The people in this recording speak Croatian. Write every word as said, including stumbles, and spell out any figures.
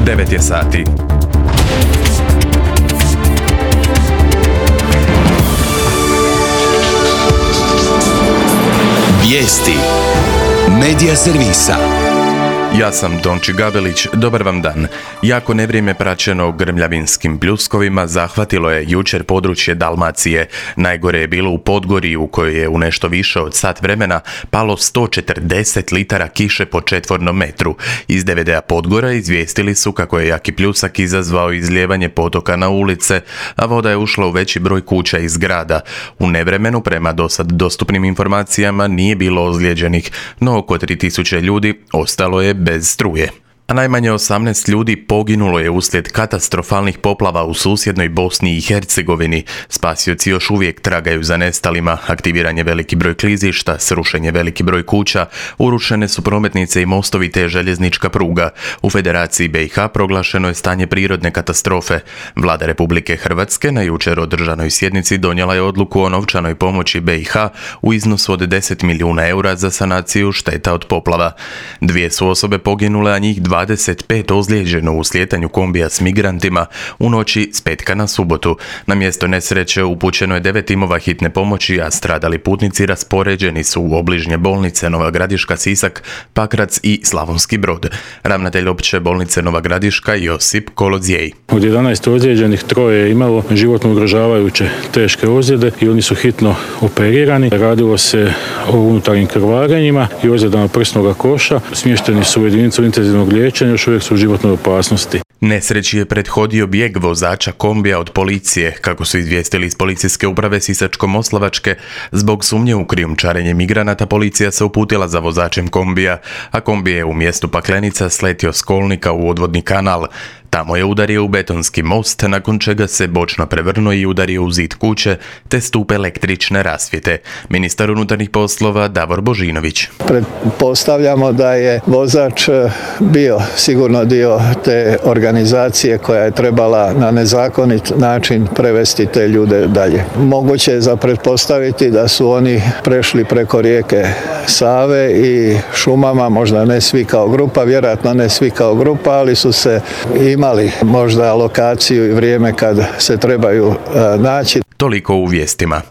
devet je sati. Vijesti Medija servisa. Ja sam Tonči Gabelić, dobar vam dan. Jako nevrijeme praćeno grmljavinskim pljuskovima zahvatilo je jučer područje Dalmacije. Najgore je bilo u Podgorji u kojoj je u nešto više od sat vremena palo sto četrdeset litara kiše po četvornom metru. Iz D V D-a Podgora izvijestili su kako je jaki pljusak izazvao izlijevanje potoka na ulice, a voda je ušla u veći broj kuća i zgrada. U nevremenu, prema dosad dostupnim informacijama, nije bilo ozlijeđenih, no oko tri tisuće ljudi ostalo je bez struje. A najmanje osamnaest ljudi poginulo je uslijed katastrofalnih poplava u susjednoj Bosni i Hercegovini. Spasioci još uvijek tragaju za nestalima, aktiviran je veliki broj klizišta, srušen je veliki broj kuća, urušene su prometnice i mostovi te željeznička pruga. U Federaciji B i H proglašeno je stanje prirodne katastrofe. Vlada Republike Hrvatske na jučer održanoj sjednici donijela je odluku o novčanoj pomoći B i H u iznosu od deset milijuna eura za sanaciju šteta od poplava. Dvije su osobe poginule, a njih dvadeset pet ozlijeđeno u slijetanju kombija s migrantima u noći s petka na subotu. Na mjesto nesreće upućeno je devet timova hitne pomoći, a stradali putnici raspoređeni su u obližnje bolnice Nova Gradiška, Sisak, Pakrac i Slavonski Brod. Ravnatelj opće bolnice Nova Gradiška Josip Kolodzej. Od jedanaest ozlijeđenih troje je imalo životno ugrožavajuće teške ozljede i oni su hitno operirani. Radilo se o unutarnjim krvarenjima i ozljedama prsnog koša. Smješteni su u jedinicu intenzivnog liječenja, još uvijek su u životnoj opasnosti. Nesreći je prethodio bijeg vozača kombija od policije, kako su izvijestili iz policijske uprave Sisačko-moslavačke. Zbog sumnje u krijumčarenje migranata policija se uputila za vozačem kombija, a kombij je u mjestu Paklenica sletio s kolnika u odvodni kanal. Tamo je udario u betonski most, nakon čega se bočno prevrnuo i udario u zid kuće te stup električne rasvjete. Ministar unutarnjih poslova Davor Božinović. Pretpostavljamo da je vozač bio sigurno dio te organizacije koja je trebala na nezakonit način prevesti te ljude dalje. Moguće je za pretpostaviti da su oni prešli preko rijeke Save i šumama, možda ne svi kao grupa, vjerojatno ne svi kao grupa, ali su se imali možda lokaciju i vrijeme kad se trebaju naći. Toliko u vijestima.